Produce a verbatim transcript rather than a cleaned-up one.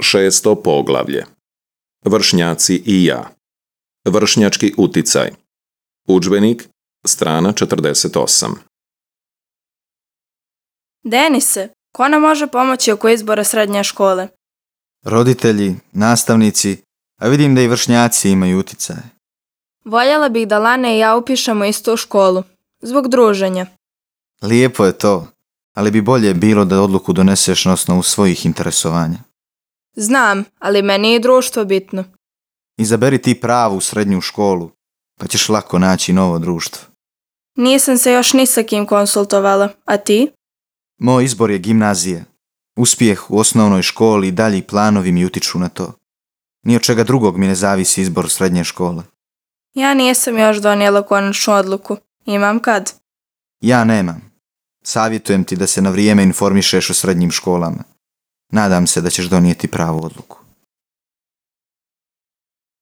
Šesto poglavlje. Vršnjaci i ja. Vršnjački uticaj. Udžbenik, strana četrdeset osam. Denise, ko nam može pomoći oko izbora srednje škole? Roditelji, nastavnici, a vidim da i vršnjaci imaju uticaj. Voljela bih da Lana i ja upišemo istu školu, zbog druženja. Lijepo je to, ali bi bolje bilo da odluku doneseš na osnovu svojih interesovanja. Znam, ali meni je i društvo bitno. Izaberi ti pravu srednju školu, pa ćeš lako naći novo društvo. Nisam se još ni sa kim konsultovala, a ti? Moj izbor je gimnazija. Uspjeh u osnovnoj školi i dalji planovi mi utiču na to. Ni od čega drugog mi ne zavisi izbor srednje škole. Ja nisam još donijela konačnu odluku. Imam kad? Ja nemam. Savjetujem ti da se na vrijeme informišeš o srednjim školama. Nadam se da ćeš donijeti pravu odluku.